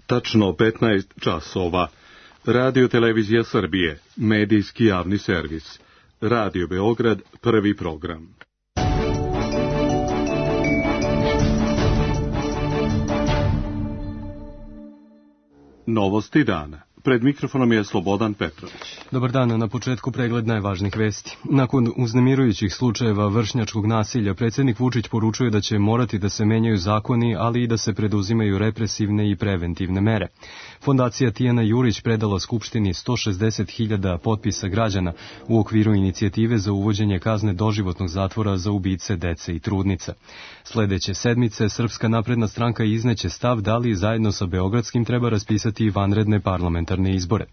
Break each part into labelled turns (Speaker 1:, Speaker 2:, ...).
Speaker 1: Tačno 15 časova. Radio Televizija Srbije, medijski javni servis. Radio Beograd, prvi program. Novosti dana. Pred mikrofonom je Slobodan Petrović.
Speaker 2: Dobar dan, na početku pregled najvažnijih vesti. Nakon uznemirujućih slučajeva vršnjačkog nasilja, predsjednik Vučić poručuje da će morati da se menjaju zakoni, ali i da se preduzimaju represivne i preventivne mere. Fondacija Tijana Jurić predala Skupštini 160.000 potpisa građana u okviru inicijative za uvođenje kazne doživotnog zatvora za ubice dece i trudnica. Sledeće sedmice Srpska napredna stranka izneće stav da li zajedno sa Beogradskim treba raspisati vanredne parlamentarne izbore.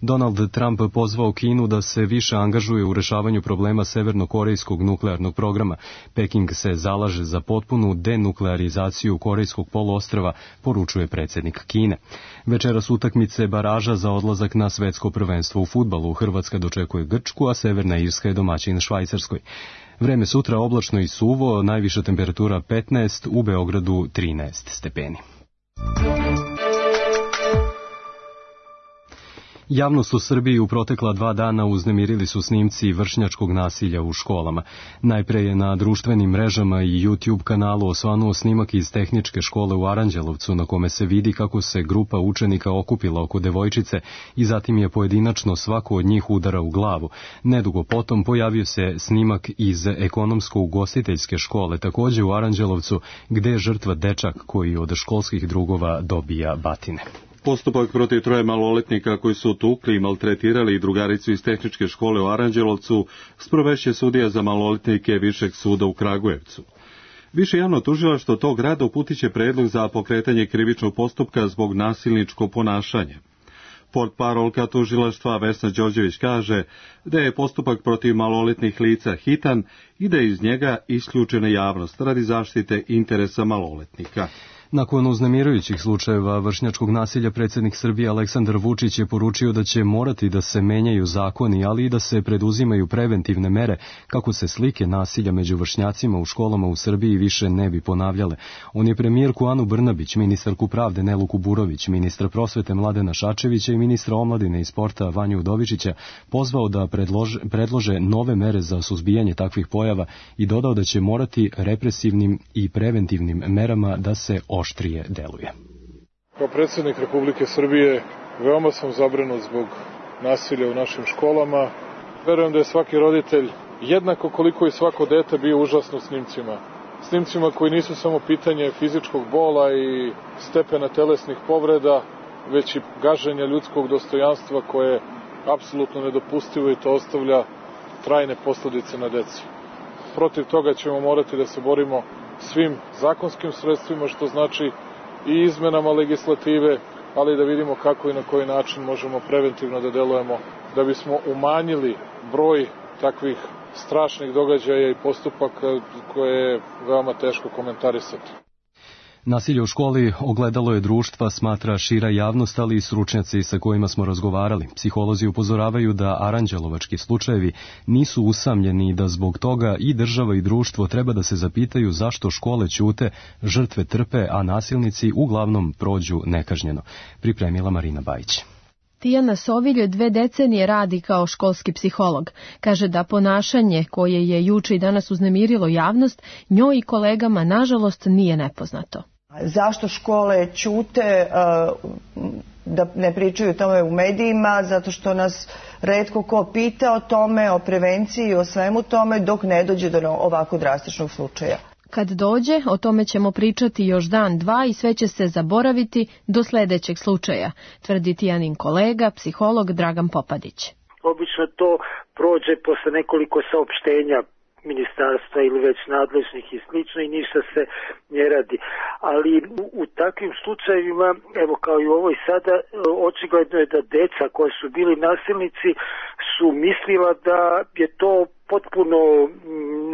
Speaker 2: Donald Trump pozvao Kinu da se više angažuje u rešavanju problema severnokorejskog nuklearnog programa. Peking se zalaže za potpunu denuklearizaciju Korejskog poluostrva, poručuje predsjednik Kine. Večeras utakmice baraža za odlazak na svetsko prvenstvo u fudbalu. Hrvatska dočekuje Grčku, a Severna Irska je domaćin Švajcarskoj. Vreme sutra oblačno i suvo, najviša temperatura 15, u Beogradu 13 stepeni. Javnost u Srbiji u protekla 2 dana uznemirili su snimci vršnjačkog nasilja u školama. Najpre je na društvenim mrežama i YouTube kanalu osvanuo snimak iz tehničke škole u Aranđelovcu, na kome se vidi kako se grupa učenika okupila oko devojčice i zatim je pojedinačno svako od njih udara u glavu. Nedugo potom pojavio se snimak iz ekonomsko-ugostiteljske škole, takođe u Aranđelovcu, gde je žrtva dečak koji od školskih drugova dobija batine.
Speaker 1: Postupak protiv 3 maloletnika koji su tukli i maltretirali drugaricu iz tehničke škole u Aranđelovcu sprovešće sudija za maloletnike Višeg suda u Kragujevcu. Više javno tužilaštvo tog grada uputiće predlog za pokretanje krivičnog postupka zbog nasilničkog ponašanja. Portparolka tužilaštva Vesna Đorđević kaže da je postupak protiv maloletnih lica hitan i da je iz njega isključena javnost radi zaštite interesa maloletnika.
Speaker 2: Nakon uznemirujućih slučajeva vršnjačkog nasilja, predsjednik Srbije Aleksandar Vučić je poručio da će morati da se menjaju zakoni, ali i da se preduzimaju preventivne mere kako se slike nasilja među vršnjacima u školama u Srbiji više ne bi ponavljale. On je premijerku Anu Brnabić, ministarku pravde Nelu Kuburović, ministra prosvete Mladena Šačevića i ministra omladine i sporta Vanju Udovičića pozvao da predlože nove mere za suzbijanje takvih pojava i dodao da će morati represivnim i preventivnim merama da se oštrije deluje.
Speaker 3: Kao predsjednik Republike Srbije veoma sam zabrinut zbog nasilja u našim školama. Verujem da je svaki roditelj jednako koliko i svako dete bio užasno snimcima. Snimcima koji nisu samo pitanje fizičkog bola i stepena telesnih povreda, već i gaženja ljudskog dostojanstva koje je apsolutno nedopustivo i to ostavlja trajne posljedice na decu. Protiv toga ćemo morati da se borimo svim zakonskim sredstvima, što znači i izmenama legislative, ali da vidimo kako i na koji način možemo preventivno da delujemo da bismo umanjili broj takvih strašnih događaja i postupaka koje je veoma teško komentarisati.
Speaker 2: Nasilje u školi ogledalo je društva, smatra šira javnost, ali i stručnjaci sa kojima smo razgovarali. Psiholozi upozoravaju da aranđelovački slučajevi nisu usamljeni i da zbog toga i država i društvo treba da se zapitaju zašto škole ćute, žrtve trpe, a nasilnici uglavnom prođu nekažnjeno. Pripremila Marina Bajić.
Speaker 4: Tijana Sovilj 2 decenije radi kao školski psiholog. Kaže da ponašanje koje je juče i danas uznemirilo javnost, njoj i kolegama nažalost nije nepoznato.
Speaker 5: Zašto škole ćute, da ne pričaju o tome u medijima? Zato što nas retko ko pita o tome, o prevenciji, o svemu tome, dok ne dođe do ovako drastičnog slučaja.
Speaker 4: Kad dođe, o tome ćemo pričati još dan, 2 i sve će se zaboraviti do sledećeg slučaja, tvrdi Tijanin kolega, psiholog Dragan Popadić.
Speaker 6: Obično to prođe posle nekoliko saopštenja ministarstva ili već nadležnih i slično i ništa se ne radi. Ali u takvim slučajevima, evo kao i u ovoj sada, očigledno je da deca koji su bili nasilnici su mislila da je to potpuno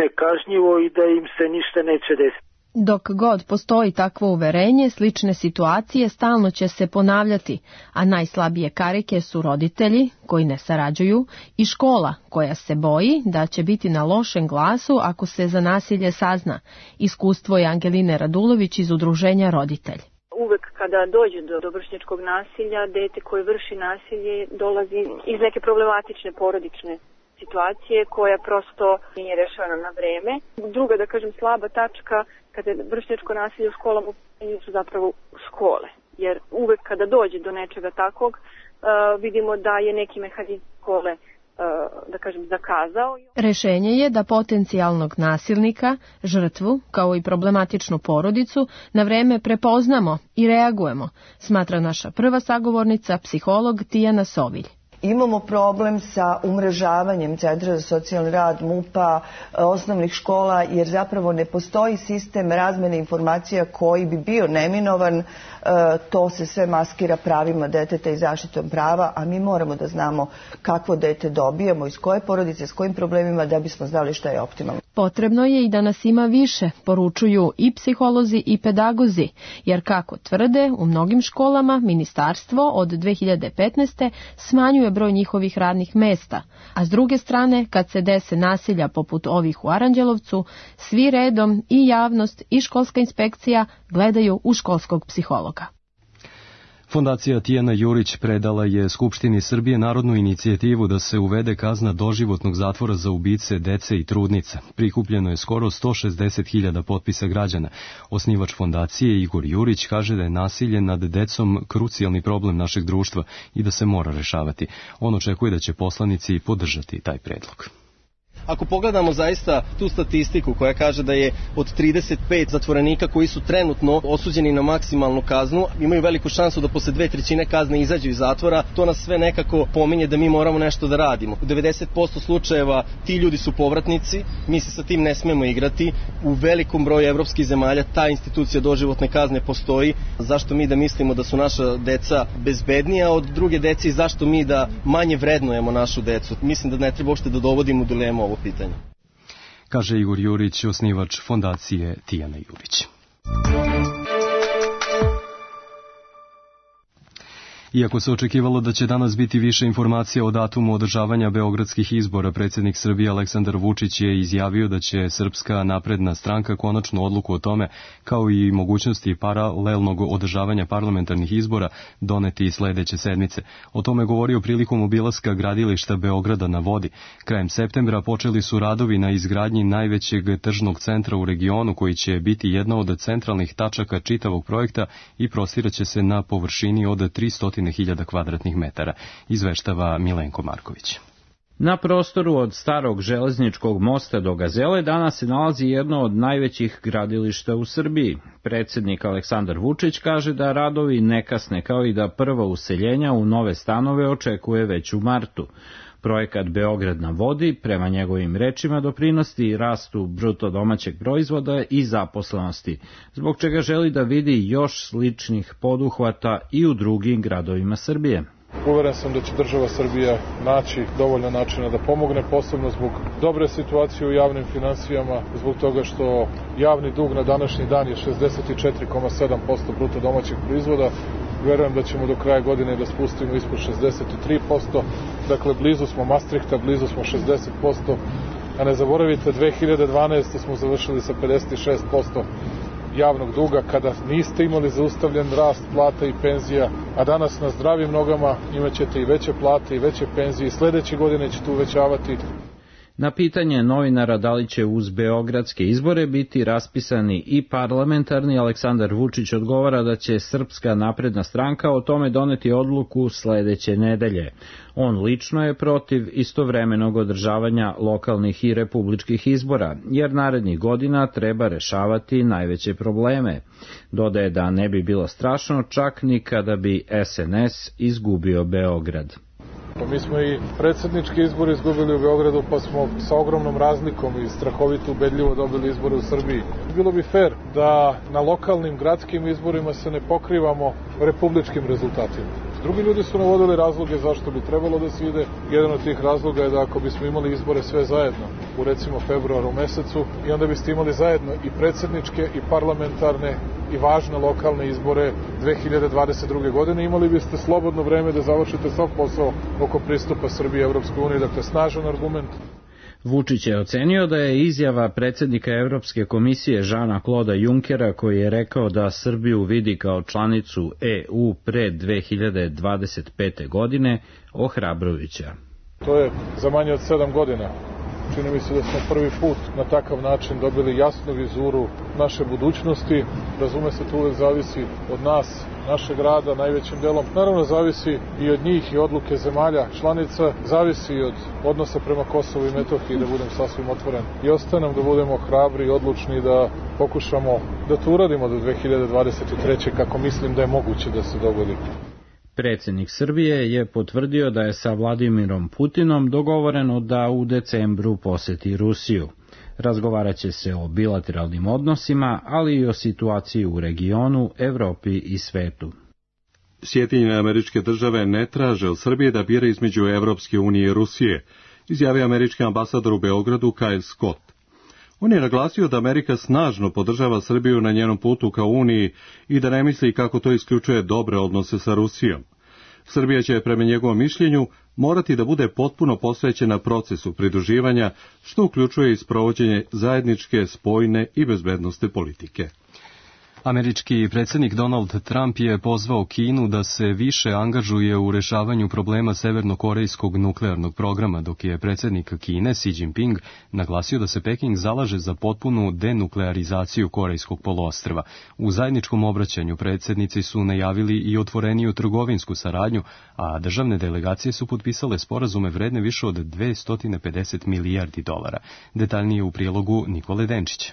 Speaker 6: nekažnjivo i da im se ništa neće desiti.
Speaker 4: Dok god postoji takvo uverenje, slične situacije stalno će se ponavljati, a najslabije karike su roditelji koji ne sarađuju i škola koja se boji da će biti na lošem glasu ako se za nasilje sazna. Iskustvo je Angeline Radulović iz udruženja Roditelj.
Speaker 7: Uvek kad kada dođe do vršnjačkog nasilja, dete koje vrši nasilje dolazi iz neke problematične porodične situacije koja prosto nije rešavana na vreme. Druga, da kažem, slaba tačka kada je vršnjačko nasilje u školama su zapravo škole. Jer uvek kada dođe do nečega takvog, vidimo da je neki mehanizam škole, da kažem, zakazao.
Speaker 4: Rešenje je da potencijalnog nasilnika, žrtvu, kao i problematičnu porodicu, na vreme prepoznamo i reagujemo, smatra naša prva sagovornica, psiholog Tijana Sovilj.
Speaker 5: Imamo problem sa umrežavanjem Centra za socijalni rad, MUP-a, osnovnih škola, jer zapravo ne postoji sistem razmene informacija koji bi bio neminovan. To se sve maskira pravima deteta i zaštitom prava, a mi moramo da znamo kakvo dete dobijamo, iz koje porodice, s kojim problemima, da bismo znali šta je optimalno.
Speaker 4: Potrebno je i da nas ima više, poručuju i psiholozi i pedagozi, jer kako tvrde, u mnogim školama ministarstvo od 2015. smanjuje broj njihovih radnih mesta, a s druge strane, kad se dese nasilja poput ovih u Aranđelovcu, svi redom, i javnost i školska inspekcija, gledaju u školskog psihologa.
Speaker 2: Fondacija Tijana Jurić predala je Skupštini Srbije narodnu inicijativu da se uvede kazna doživotnog zatvora za ubice dece i trudnica. Prikupljeno je skoro 160.000 potpisa građana. Osnivač fondacije Igor Jurić kaže da je nasilje nad decom krucijalni problem našeg društva i da se mora rešavati. On očekuje da će poslanici podržati taj predlog.
Speaker 8: Ako pogledamo zaista tu statistiku koja kaže da je od 35 zatvorenika koji su trenutno osuđeni na maksimalnu kaznu, imaju veliku šansu da posle 2/3 kazne izađu iz zatvora, to nas sve nekako pominje da mi moramo nešto da radimo. U 90% slučajeva ti ljudi su povratnici, mi se sa tim ne smemo igrati. U velikom broju evropskih zemalja ta institucija doživotne kazne postoji. Zašto mi da mislimo da su naša deca bezbednija od druge dece i zašto mi da manje vrednujemo našu decu? Mislim da ne treba uopšte da dovodimo u dilemu ovo pitanje.
Speaker 2: Kaže Igor Jurić, osnivač fondacije Tijana Jurić. Iako se očekivalo da će danas biti više informacija o datumu održavanja beogradskih izbora, predsjednik Srbije Aleksandar Vučić je izjavio da će Srpska napredna stranka konačnu odluku o tome, kao i mogućnosti paralelnog održavanja parlamentarnih izbora, doneti sledeće sedmice. O tome govorio prilikom obilaska gradilišta Beograda na vodi. Krajem septembra počeli su radovi na izgradnji najvećeg tržnog centra u regionu, koji će biti jedna od centralnih tačaka čitavog projekta i prostiraće se na površini od 300.000 kvadratnih metara, izveštava Milenko Marković.
Speaker 9: Na prostoru od starog železničkog mosta do Gazele danas se nalazi jedno od najvećih gradilišta u Srbiji. Predsjednik Aleksandar Vučić kaže da radovi ne kasne, kao i da prva useljenja u nove stanove očekuje već u martu. Projekat Beograd na vodi, prema njegovim rečima, doprinosi rastu bruto domaćeg proizvoda i zaposlenosti, zbog čega želi da vidi još sličnih poduhvata i u drugim gradovima Srbije.
Speaker 3: Uveren sam da će država Srbija naći dovoljno načina da pomogne, posebno zbog dobre situacije u javnim finansijama, zbog toga što javni dug na današnji dan je 64,7% bruto domaćeg proizvoda. Verujem da ćemo do kraja godine da spustimo ispod 63%, dakle blizu smo Maastrichta, blizu smo 60%, a ne zaboravite 2012. smo završili sa 56% javnog duga, kada niste imali zaustavljen rast plata i penzija, a danas na zdravim nogama imat ćete i veće plate i veće penzije i sledeće godine ćete uvećavati.
Speaker 9: Na pitanje novinara da li će uz beogradske izbore biti raspisani i parlamentarni, Aleksandar Vučić odgovara da će Srpska napredna stranka o tome doneti odluku sledeće nedelje. On lično je protiv istovremenog održavanja lokalnih i republičkih izbora, jer narednih godina treba rešavati najveće probleme. Dodaje da ne bi bilo strašno čak ni kada bi SNS izgubio Beograd.
Speaker 3: Mi smo i predsjednički izbor izgubili u Beogradu, pa smo sa ogromnom razlikom i strahovito ubedljivo dobili izbore u Srbiji. Bilo bi fair da na lokalnim gradskim izborima se ne pokrivamo republičkim rezultatima. Drugi ljudi su navodili razloge zašto bi trebalo da se ide. Jedan od tih razloga je da ako bismo imali izbore sve zajedno, u recimo februaru mesecu, i onda biste imali zajedno i predsjedničke i parlamentarne i važne lokalne izbore 2022. godine, imali biste slobodno vreme da završite sav posao oko pristupa Srbije Evropskoj uniji, dakle snažan argument.
Speaker 9: Vučić je ocenio da je izjava predsjednika Evropske komisije Žana Kloda Junkera, koji je rekao da Srbiju vidi kao članicu EU pre 2025. godine, ohrabrujuća.
Speaker 3: To je za manje od 7 godina. Čini mi se da smo prvi put na takav način dobili jasnu vizuru naše budućnosti. Razume se, to uvek zavisi od nas, našeg rada, najvećim delom. Naravno, zavisi i od njih i odluke zemalja članica, zavisi i od odnosa prema Kosovu i Metohiji, da budem sasvim otvoren. I ostaje nam da budemo hrabri i odlučni da pokušamo da to uradimo do 2023. kako mislim da je moguće da se dogodi.
Speaker 9: Predsjednik Srbije je potvrdio da je sa Vladimirom Putinom dogovoreno da u decembru poseti Rusiju. Razgovarat će se o bilateralnim odnosima, ali i o situaciji u regionu, Evropi i svetu.
Speaker 1: Sjedinjene Američke Države ne traže od Srbije da bira između Evropske unije i Rusije, izjavio američki ambasador u Beogradu Kyle Scott. On je naglasio da Amerika snažno podržava Srbiju na njenom putu ka Uniji i da ne misli kako to isključuje dobre odnose sa Rusijom. Srbija će, prema njegovom mišljenju, morati da bude potpuno posvećena procesu pridruživanja, što uključuje i sprovođenje zajedničke, spoljne i bezbednosne politike.
Speaker 2: Američki predsjednik Donald Trump je pozvao Kinu da se više angažuje u rešavanju problema severnokorejskog nuklearnog programa, dok je predsjednik Kine Xi Jinping naglasio da se Peking zalaže za potpunu denuklearizaciju Korejskog poluostrva. U zajedničkom obraćanju predsjednici su najavili i otvoreniju trgovinsku saradnju, a državne delegacije su potpisale sporazume vredne više od $250 milijardi. Detaljnije u prilogu Nikole Denčića.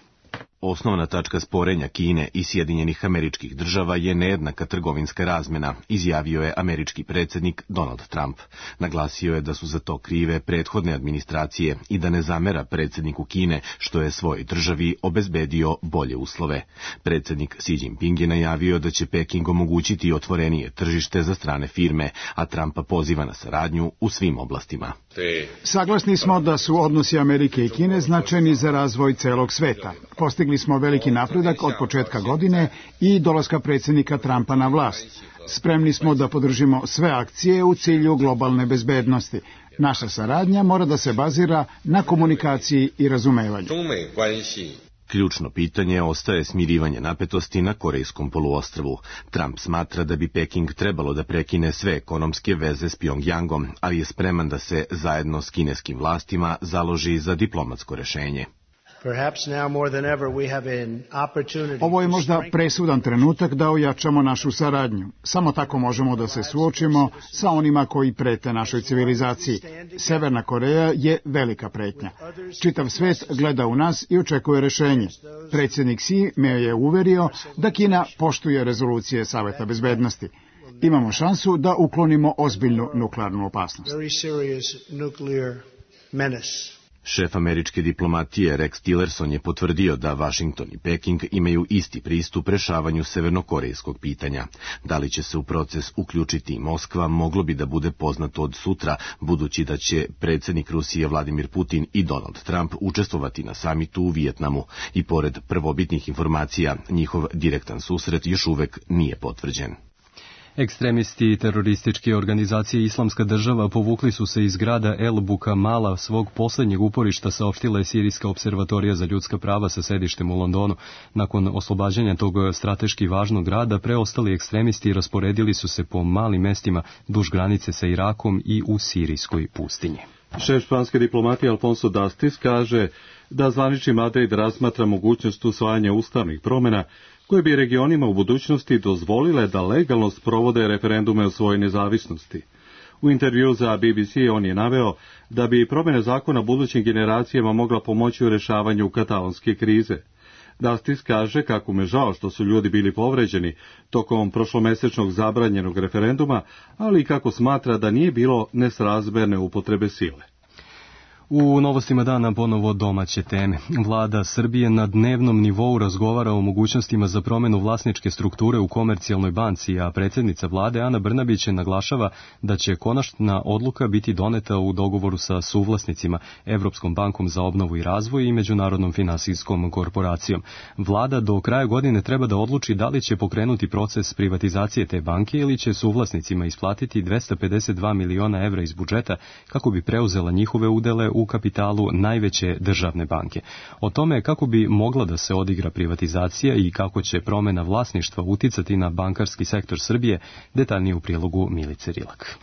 Speaker 10: Osnovna tačka sporenja Kine i Sjedinjenih Američkih Država je nejednaka trgovinska razmjena, izjavio je američki predsjednik Donald Trump. Naglasio je da su za to krive prethodne administracije i da ne zamera predsjedniku Kine što je svojoj državi obezbedio bolje uslove. Predsjednik Xi Jinping je najavio da će Peking omogućiti otvorenije tržište za strane firme, a Trumpa poziva na saradnju u svim oblastima.
Speaker 11: Saglasni smo da su odnosi Amerike i Kine značajni za razvoj celog sveta. Postigli smo veliki napredak od početka godine i dolaska predsjednika Trumpa na vlast. Spremni smo da podržimo sve akcije u cilju globalne bezbednosti. Naša saradnja mora da se bazira na komunikaciji i razumevanju.
Speaker 10: Ključno pitanje ostaje smirivanje napetosti na Korejskom poluostrvu. Trump smatra da bi Peking trebalo da prekine sve ekonomske veze s Pjongjangom, ali je spreman da se zajedno s kineskim vlastima založi za diplomatsko rešenje.
Speaker 11: Ovo je možda presudan trenutak da ojačamo našu saradnju. Samo tako možemo da se suočimo sa onima koji prete našoj civilizaciji. Severna Koreja je velika pretnja. Čitav svet gleda u nas i očekuje rešenje. Predsjednik Xi me je uverio da Kina poštuje rezolucije Saveta bezbednosti. Imamo šansu da uklonimo ozbiljnu nuklearnu opasnost.
Speaker 10: Šef američke diplomatije Rex Tillerson je potvrdio da Washington i Peking imaju isti pristup rešavanju severnokorejskog pitanja. Da li će se u proces uključiti i Moskva, moglo bi da bude poznato od sutra, budući da će predsjednik Rusije Vladimir Putin i Donald Trump učestvovati na samitu u Vijetnamu i pored prvobitnih informacija, njihov direktan susret još uvek nije potvrđen.
Speaker 2: Ekstremisti terorističke organizacije Islamska država povukli su se iz grada El Bukamala, svog posljednjeg uporišta, saopštila je Sirijska observatorija za ljudska prava sa sedištem u Londonu. Nakon oslobađanja tog strateški važnog grada, preostali ekstremisti rasporedili su se po malim mestima duž granice sa Irakom i u sirijskoj pustinji.
Speaker 1: Šef španske diplomatije Alfonso Dastis kaže da zvanični Madrid razmatra mogućnost usvajanja ustavnih promjena koje bi regionima u budućnosti dozvolile da legalno sprovode referendume o svojoj nezavisnosti. U intervju za BBC on je naveo da bi promjene zakona budućim generacijama mogla pomoći u rješavanju katalonske krize. Dastis kaže kako mu je žao što su ljudi bili povređeni tokom prošlomesečnog zabranjenog referenduma, ali i kako smatra da nije bilo nesrazmerne upotrebe sile.
Speaker 2: U novostima dana ponovo domaće teme. Vlada Srbije na dnevnom nivou razgovara o mogućnostima za promjenu vlasničke strukture u Komercijalnoj banci, a predsjednica vlade Ana Brnabić naglašava da će konačna odluka biti doneta u dogovoru sa suvlasnicima, Evropskom bankom za obnovu i razvoj i Međunarodnom finansijskom korporacijom. Vlada do kraja godine treba da odluči da li će pokrenuti proces privatizacije te banke ili će suvlasnicima isplatiti 252 miliona evra iz budžeta kako bi preuzela njihove udele u u kapitalu najveće državne banke. O tome kako bi mogla da se odigra privatizacija i kako će promena vlasništva uticati na bankarski sektor Srbije, detaljnije u prilogu Milice Rilak.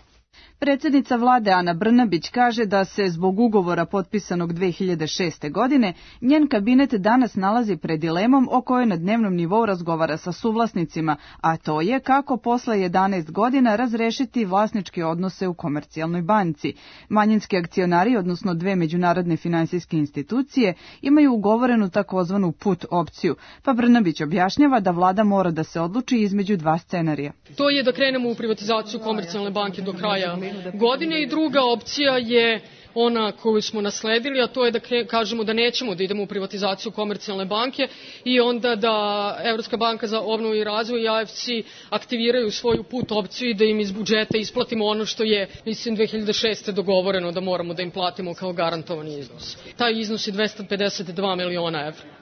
Speaker 12: Predsjednica vlade Ana Brnabić kaže da se zbog ugovora potpisanog 2006. godine njen kabinet danas nalazi pred dilemom o kojoj na dnevnom nivou razgovara sa suvlasnicima, a to je kako posle 11 godina razrešiti vlasničke odnose u Komercijalnoj banci. Manjinski akcionari, odnosno dve međunarodne finansijske institucije, imaju ugovorenu takozvanu put opciju, pa Brnabić objašnjava da vlada mora da se odluči između dva scenarija.
Speaker 13: To je da krenemo u privatizaciju Komercijalne banke do kraja godine i druga opcija je ona koju smo nasledili, a to je da kažemo da nećemo da idemo u privatizaciju Komercijalne banke i onda da Evropska banka za obnovu i razvoj i AFC aktiviraju svoju put opciju i da im iz budžeta isplatimo ono što je, mislim, 2006. dogovoreno da moramo da im platimo kao garantovani iznos. Taj iznos je 252 miliona evra.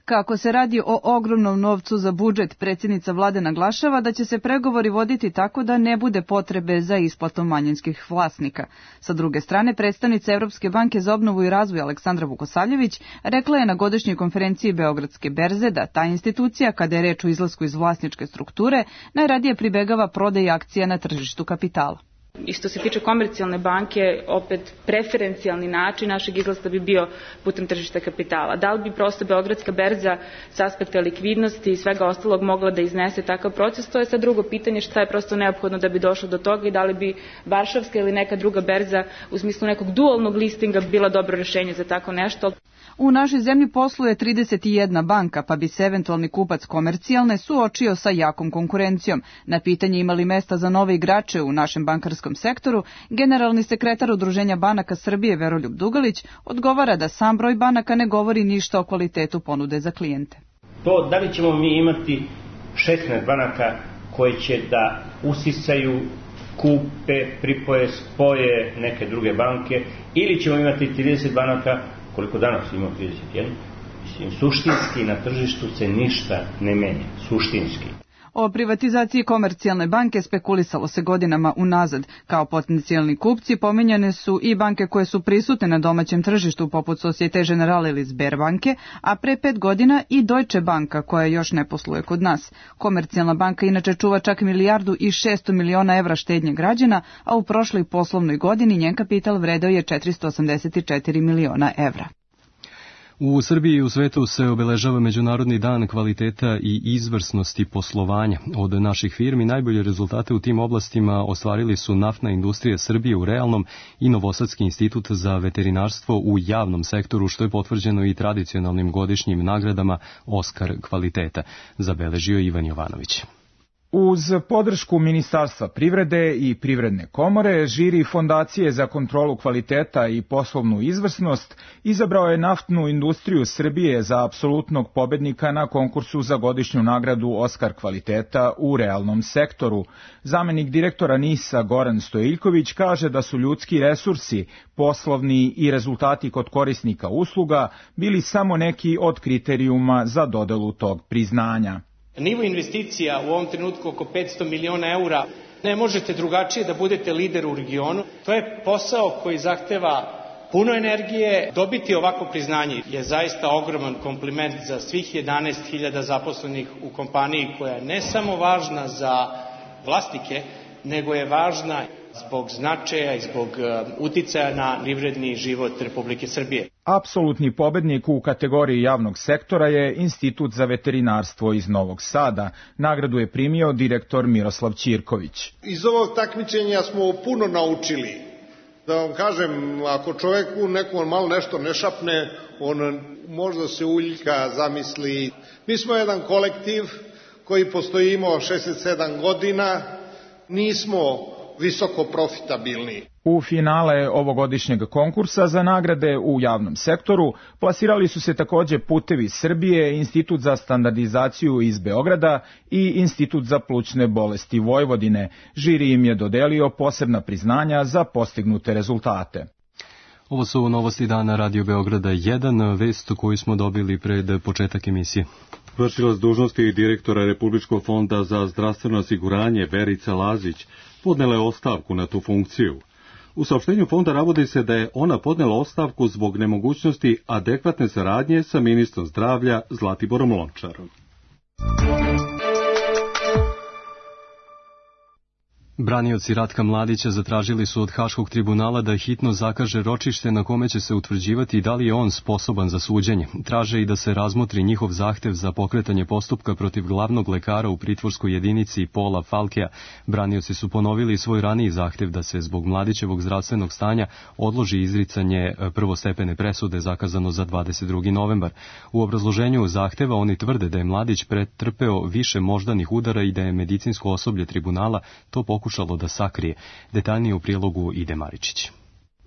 Speaker 12: Kako se radi o ogromnom novcu za budžet, predsjednica vlade naglašava da će se pregovori voditi tako da ne bude potrebe za isplatom manjinskih vlasnika. Sa druge strane, predstavnica Evropske banke za obnovu i razvoj Aleksandra Vukosavljević rekla je na godišnjoj konferenciji Beogradske berze da ta institucija, kada je reč o izlasku iz vlasničke strukture, najradije pribegava prodaji akcija na tržištu kapitala.
Speaker 14: I što se tiče Komercijalne banke, opet preferencijalni način našeg izlaska bi bio putem tržišta kapitala. Da li bi prosto Beogradska berza s aspekta likvidnosti i svega ostalog mogla da iznese takav proces, to je sad drugo pitanje, šta je prosto neophodno da bi došlo do toga i da li bi Varšavska ili neka druga berza u smislu nekog dualnog listinga bila dobro rešenje za tako nešto.
Speaker 12: U našoj zemlji posluje 31 banka, pa bi se eventualni kupac Komercijalne suočio sa jakom konkurencijom. Na pitanje imali mesta za nove igrače u našem bankarskom sektoru, generalni sekretar Udruženja banaka Srbije Veroljub Dugalić odgovara da sam broj banaka ne govori ništa o kvalitetu ponude za klijente.
Speaker 15: To da li ćemo mi imati 16 banaka koje će da usisaju, kupe, pripoje, spoje neke druge banke, ili ćemo imati 30 banaka koliko danas imamo 31, mislim, suštinski na tržištu se ništa ne menja, suštinski.
Speaker 12: O privatizaciji Komercijalne banke spekulisalo se godinama unazad. Kao potencijalni kupci pominjane su i banke koje su prisutne na domaćem tržištu poput Societe Generale ili Sberbanke, a pre 5 godina i Deutsche Banka koja još ne posluje kod nas. Komercijalna banka inače čuva čak 1,6 milijardi evra štednje građana, a u prošloj poslovnoj godini njen kapital vredeo je 484 miliona evra.
Speaker 2: U Srbiji i u svetu se obeležava Međunarodni dan kvaliteta i izvrsnosti poslovanja. Od naših firmi najbolje rezultate u tim oblastima ostvarili su Naftna industrija Srbije u realnom i Novosadski institut za veterinarstvo u javnom sektoru, što je potvrđeno i tradicionalnim godišnjim nagradama Oskar kvaliteta, zabeležio Ivan Jovanović.
Speaker 16: Uz podršku Ministarstva privrede i Privredne komore, žiri Fondacije za kontrolu kvaliteta i poslovnu izvrsnost izabrao je Naftnu industriju Srbije za apsolutnog pobednika na konkursu za godišnju nagradu Oskar kvaliteta u realnom sektoru. Zamenik direktora NIS-a Goran Stojiljković kaže da su ljudski resursi, poslovni i rezultati kod korisnika usluga bili samo neki od kriterijuma za dodelu tog priznanja.
Speaker 17: Nivo investicija u ovom trenutku oko 500 miliona eura, ne možete drugačije da budete lider u regionu. To je posao koji zahteva puno energije. Dobiti ovako priznanje je zaista ogroman kompliment za svih 11.000 zaposlenih u kompaniji koja je ne samo važna za vlasnike, nego je važna zbog značaja i zbog uticaja na privredni život Republike Srbije.
Speaker 16: Apsolutni pobednik u kategoriji javnog sektora je Institut za veterinarstvo iz Novog Sada. Nagradu je primio direktor Miroslav Ćirković.
Speaker 18: Iz ovog takmičenja smo puno naučili. Da vam kažem, ako čoveku nekom malo nešto ne šapne, on možda se uljka, zamisli. Mi smo jedan kolektiv koji postojimo 67 godina, nismo visoko profitabilni.
Speaker 16: U finale ovogodišnjeg konkursa za nagrade u javnom sektoru plasirali su se takođe Putevi Srbije, Institut za standardizaciju iz Beograda i Institut za plućne bolesti Vojvodine. Žiri im je dodelio posebna priznanja za postignute rezultate.
Speaker 2: Ovo su novosti dana Radio Beograda 1, vest koju smo dobili pred početak emisije.
Speaker 1: Vršilac dužnosti direktora Republičkog fonda za zdravstveno osiguranje Verica Lazić podnela je ostavku na tu funkciju. U saopštenju fonda navodi se da je ona podnela ostavku zbog nemogućnosti adekvatne saradnje sa ministrom zdravlja Zlatiborom Lončarom.
Speaker 2: Branioci Ratka Mladića zatražili su od Haškog tribunala da hitno zakaže ročište na kome će se utvrđivati da li je on sposoban za suđenje. Traže i da se razmotri njihov zahtev za pokretanje postupka protiv glavnog lekara u pritvorskoj jedinici Pola Falkea. Branioci su ponovili svoj raniji zahtev da se zbog Mladićevog zdravstvenog stanja odloži izricanje prvostepene presude zakazano za 22. novembar. U obrazloženju zahteva oni tvrde da je Mladić pretrpeo više moždanih udara i da je medicinsko osoblje tribunala to pokušalo da sakrije. Detaljnije u prilogu Ide Maričić.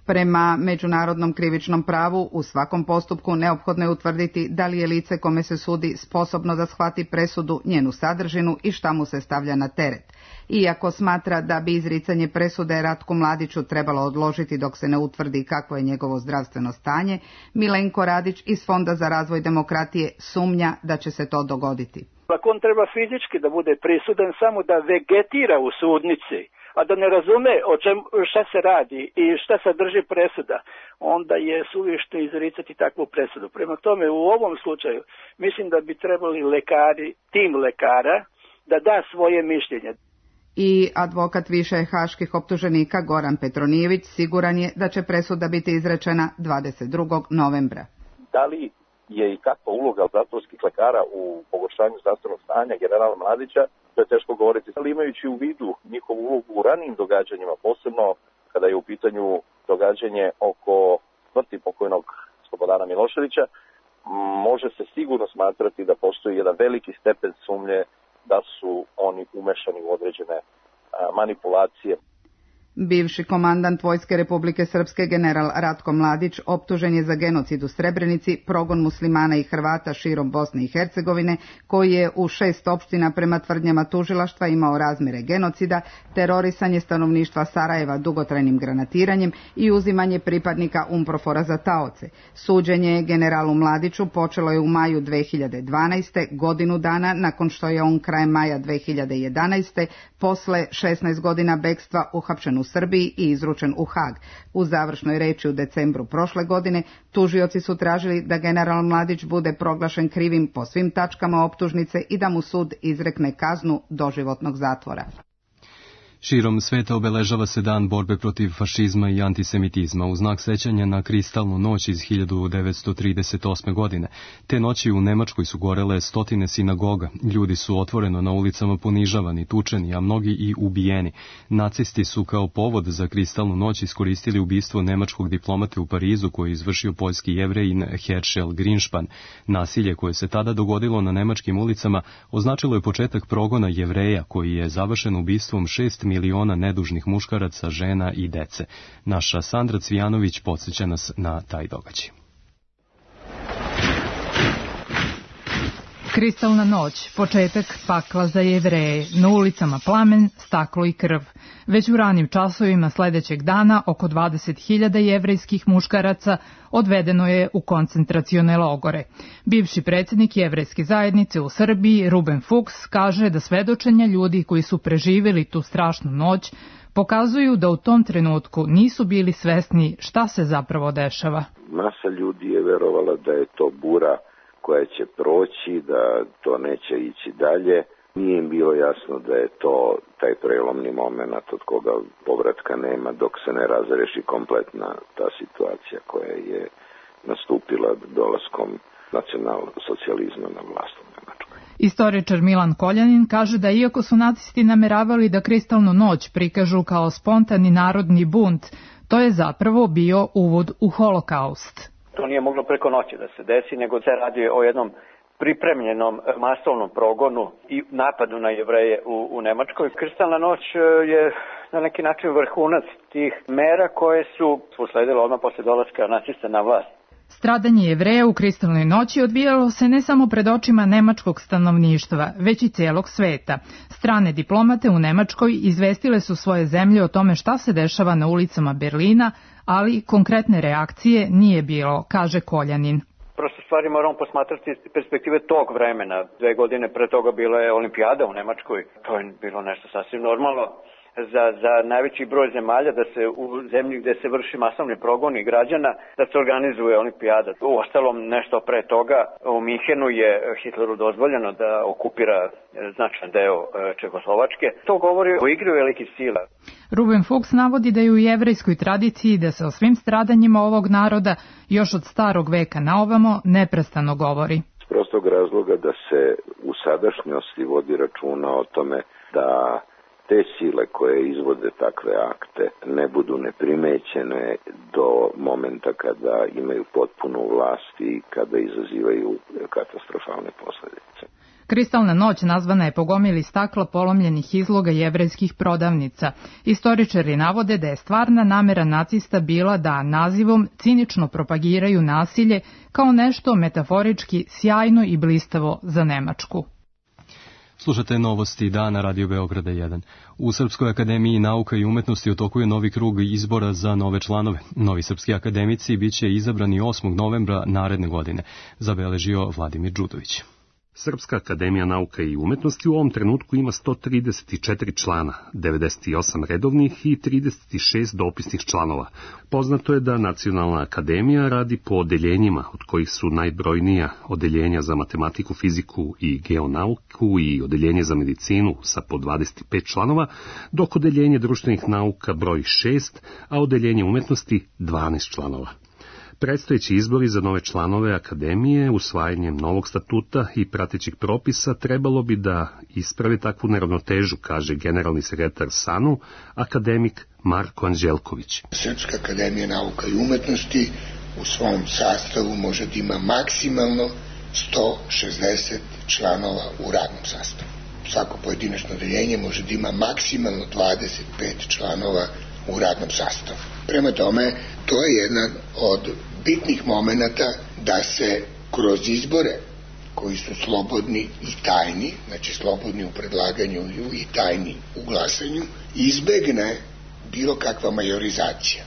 Speaker 19: Prema međunarodnom krivičnom pravu, u svakom postupku neophodno je utvrditi da li je lice kome se sudi sposobno da shvati presudu, njenu sadržinu i šta mu se stavlja na teret. Iako smatra da bi izricanje presude Ratku Mladiću trebalo odložiti dok se ne utvrdi kakvo je njegovo zdravstveno stanje, Milenko Radić iz Fonda za razvoj demokratije sumnja da će se to dogoditi.
Speaker 20: Ako on treba fizički da bude prisudan samo da vegetira u sudnici, a da ne razume šta se radi i šta sadrži presuda, onda je suvišno izricati takvu presudu. Prema tome, u ovom slučaju, mislim da bi trebali tim lekara, da da svoje mišljenje.
Speaker 19: I advokat više haških optuženika Goran Petronijević siguran je da će presuda biti izrečena 22. novembra.
Speaker 21: Da li je i kakva uloga zatvorskih lekara u pogoršanju zdravstvenog stanja generala Mladića, to je teško govoriti, ali imajući u vidu njihovu ulogu u ranijim događanjima, posebno kada je u pitanju događanje oko smrti pokojnog Slobodana Miloševića, može se sigurno smatrati da postoji jedan veliki stepen sumnje da su oni umešani u određene manipulacije.
Speaker 19: Bivši komandant Vojske Republike Srpske general Ratko Mladić optužen je za genocid u Srebrenici, progon muslimana i Hrvata širom Bosne i Hercegovine, koji je u 6 opština prema tvrdnjama tužilaštva imao razmjere genocida, terorisanje stanovništva Sarajeva dugotrajnim granatiranjem i uzimanje pripadnika UNPROFOR-a za taoce. Suđenje generalu Mladiću počelo je u maju 2012. godinu dana nakon što je on krajem maja 2011. posle 16 godina bekstva uhapšen u Srbiji i izručen u Hag. U završnoj reči u decembru prošle godine tužioci su tražili da general Mladić bude proglašen krivim po svim tačkama optužnice i da mu sud izrekne kaznu doživotnog zatvora.
Speaker 2: Širom sveta obeležava se dan borbe protiv fašizma i antisemitizma u znak sećanja na kristalnu noć iz 1938. godine. Te noći u Nemačkoj su gorele stotine sinagoga. Ljudi su otvoreno na ulicama ponižavani, tučeni, a mnogi i ubijeni. Nacisti su kao povod za kristalnu noć iskoristili ubistvo nemačkog diplomate u Parizu koji je izvršio poljski Jevrejin Herschel Grünspan. Nasilje koje se tada dogodilo na nemačkim ulicama označilo je početak progona Jevreja koji je završen ubistvom 6 miliona nedužnih muškaraca, žena i dece. Naša Sandra Cvijanović podsjeća nas na taj događaj.
Speaker 22: Kristalna noć, početak pakla za Jevreje, na ulicama plamen, staklo i krv. Već u ranim časovima sledećeg dana oko 20.000 jevrejskih muškaraca odvedeno je u koncentracione logore. Bivši predsjednik jevrejske zajednice u Srbiji, Ruben Fuchs, kaže da svedočenja ljudi koji su preživjeli tu strašnu noć pokazuju da u tom trenutku nisu bili svesni šta se zapravo dešava.
Speaker 21: Masa ljudi je verovala da je to bura koja će proći, da to neće ići dalje. Nije im bilo jasno da je to taj prelomni moment od koga povratka nema dok se ne razreši kompletna ta situacija koja je nastupila dolaskom nacionalsocijalizma na vlast u Nemačkoj.
Speaker 22: Istoričar Milan Koljanin kaže da iako su nacisti nameravali da kristalnu noć prikažu kao spontani narodni bunt, to je zapravo bio uvod u holokaust.
Speaker 23: To nije moglo preko noći da se desi, nego se radi o jednom pripremljenom masovnom progonu i napadu na Jevreje u Nemačkoj. Kristalna noć je na neki način vrhunac tih mera koje su usledile odmah posle dolaska nacista na vlast.
Speaker 22: Stradanje Jevreja u kristalnoj noći odvijalo se ne samo pred očima nemačkog stanovništva, već i celog sveta. Strane diplomate u Nemačkoj izvestile su svoje zemlje o tome šta se dešava na ulicama Berlina, ali konkretne reakcije nije bilo, kaže Koljanin.
Speaker 23: Prosto stvari moramo posmatrati iz perspektive tog vremena. 2 godine pre toga bila je olimpijada u Nemačkoj. To je bilo nešto sasvim normalno. za najveći broj zemalja da se u zemlji gde se vrši masovni progoni građana da se organizuje olimpijada. U ostalom nešto pre toga u Minhenu je Hitleru dozvoljeno da okupira značajan deo Čehoslovačke. To govori o igri velikih sila.
Speaker 22: Ruben Fuchs navodi da je u jevrejskoj tradiciji da se o svim stradanjima ovog naroda još od starog veka na ovamo neprestano govori.
Speaker 5: S prostog razloga da se u sadašnjosti vodi računa o tome da te sile koje izvode takve akte ne budu neprimećene do momenta kada imaju potpunu vlast i kada izazivaju katastrofalne posledice.
Speaker 22: Kristalna noć nazvana je po gomili stakla polomljenih izloga jevrejskih prodavnica. Istoričari navode da je stvarna namera nacista bila da nazivom cinično propagiraju nasilje kao nešto metaforički sjajno i blistavo za Nemačku.
Speaker 2: Slušate novosti dana Radio Beograda 1. U Srpskoj akademiji nauka i umetnosti u toku je novi krug izbora za nove članove. Novi srpski akademici biće izabrani 8. novembra naredne godine, zabeležio Vladimir Đudović.
Speaker 6: Srpska akademija nauka i umetnosti u ovom trenutku ima 134 člana, 98 redovnih i 36 dopisnih članova. Poznato je da Nacionalna akademija radi po odeljenjima, od kojih su najbrojnija odeljenja za matematiku, fiziku i geonauku i odeljenje za medicinu sa po 25 članova, dok odeljenje društvenih nauka broji 6, a odeljenje umetnosti 12 članova. Predstojeći izbori za nove članove akademije, usvajanjem novog statuta i pratećih propisa, trebalo bi da ispravi takvu neravnotežu, kaže generalni sekretar SANU, akademik Marko Anđelković.
Speaker 7: Srpska akademija nauka i umetnosti u svom sastavu može da ima maksimalno 160 članova u radnom sastavu. Svako pojedinačno odeljenje može da ima maksimalno 25 članova u radnom sastavu. Prema tome, to je jedan od bitnih momenata da se kroz izbore koji su slobodni i tajni, znači slobodni u predlaganju i tajni u glasanju, izbegne bilo kakva majorizacija.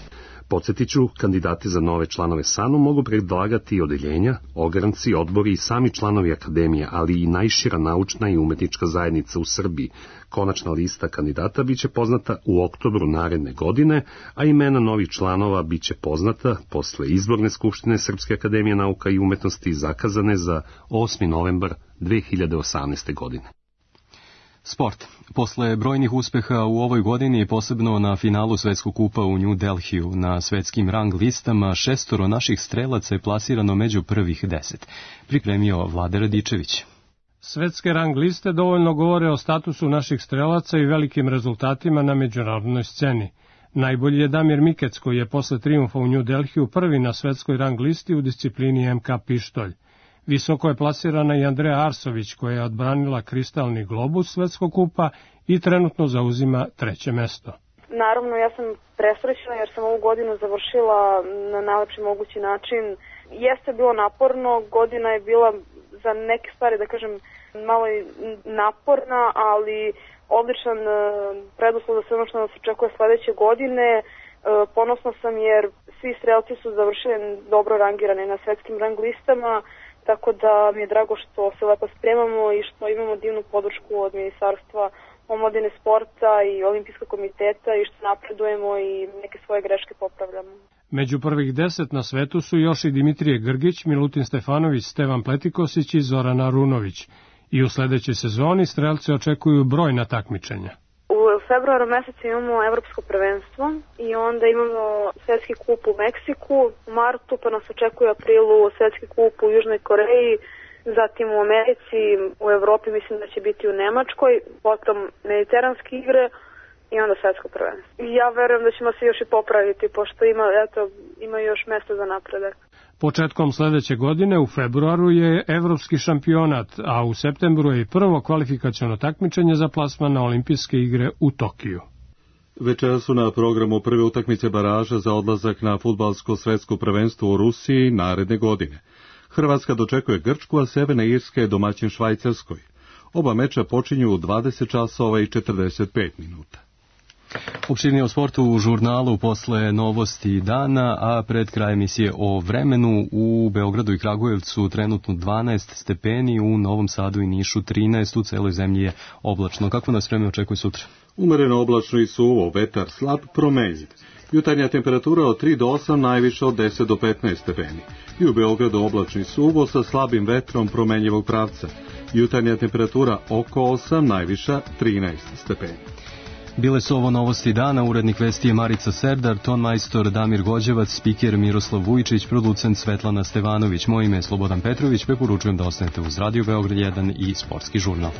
Speaker 6: Podsjetit ću, kandidati za nove članove SANU mogu predlagati odeljenja, ogranci, odbori i sami članovi akademije, ali i najšira naučna i umetnička zajednica u Srbiji. Konačna lista kandidata biće poznata u oktobru naredne godine, a imena novih članova biće poznata posle izborne skupštine Srpske akademije nauka i umetnosti zakazane za 8. novembar 2018. godine.
Speaker 2: Sport. Posle brojnih uspeha u ovoj godini, posebno na finalu Svetskog kupa u New Delhiju, na svetskim rang listama 6 naših strelaca je plasirano među prvih 10. Pripremio Vlada Radičević.
Speaker 24: Svetske rang liste dovoljno govore o statusu naših strelaca i velikim rezultatima na međunarodnoj sceni. Najbolji je Damir Mikec, koji je posle trijumfa u New Delhiju prvi na svetskoj rang listi u disciplini MK pištolj. Visoko je plasirana i Andreja Arsović, koja je odbranila kristalni globus Svetskog kupa i trenutno zauzima 3. mesto.
Speaker 25: Naravno, ja sam presrećna jer sam ovu godinu završila na najlepši mogući način. Jeste bilo naporno, godina je bila za neke stvari, da kažem, malo naporna, ali odličan preduslov za sve ono što nas očekuje sledeće godine. Ponosna sam jer svi strelci su završili dobro rangirani na svetskim rang listama, tako da mi je drago što se lepo spremamo i što imamo divnu podršku od Ministarstva omladine, sporta i Olimpijskog komiteta i što napredujemo i neke svoje greške popravljamo.
Speaker 24: Među prvih 10 na svetu su još i Dimitrije Grgić, Milutin Stefanović, Stevan Pletikosić i Zoran Arunović. I u sledećoj sezoni strelce očekuju brojna takmičenja.
Speaker 25: U februaru mesecu imamo evropsko prvenstvo i onda imamo svetski kup u Meksiku, u martu pa nas očekuje u aprilu svetski kup u Južnoj Koreji, zatim u Americi, u Evropi mislim da će biti u Nemačkoj, potom mediteranske igre i onda svetsko prvenstvo. Ja verujem da ćemo se još i popraviti, pošto ima još mesta za napredak.
Speaker 24: Početkom sledeće godine u februaru je evropski šampionat, a u septembru je i prvo kvalifikaciono takmičenje za plasman na olimpijske igre u Tokiju.
Speaker 1: Večera su na programu prve utakmice baraža za odlazak na fudbalsko svetsko prvenstvo u Rusiji naredne godine. Hrvatska dočekuje Grčku, a Severna Irska je domaćin Švajcarskoj. Oba meča počinju u 20 časova i 45 minuta.
Speaker 2: Opširnije o sportu u žurnalu posle novosti dana, a pred kraj emisije o vremenu. U Beogradu i Kragujevcu trenutno 12 stepeni, u Novom Sadu i Nišu 13, u celoj zemlji je oblačno. Kako nas vreme očekuje sutra?
Speaker 1: Umereno oblačno i suvo, vetar slab, promenjiv. Jutarnja temperatura od 3 do 8, najviša od 10 do 15 stepeni. I u Beogradu oblačno i suvo sa slabim vetrom promenjivog pravca. Jutarnja temperatura oko 8, najviša 13 stepeni.
Speaker 2: Bile su ovo novosti dana, urednik vesti je Marica Serdar, ton majstor Damir Gođevac, spiker Miroslav Vujčić, producent Svetlana Stevanović. Moje ime je Slobodan Petrović, preporučujem da ostanete uz Radio Beograd 1 i Sportski žurnal.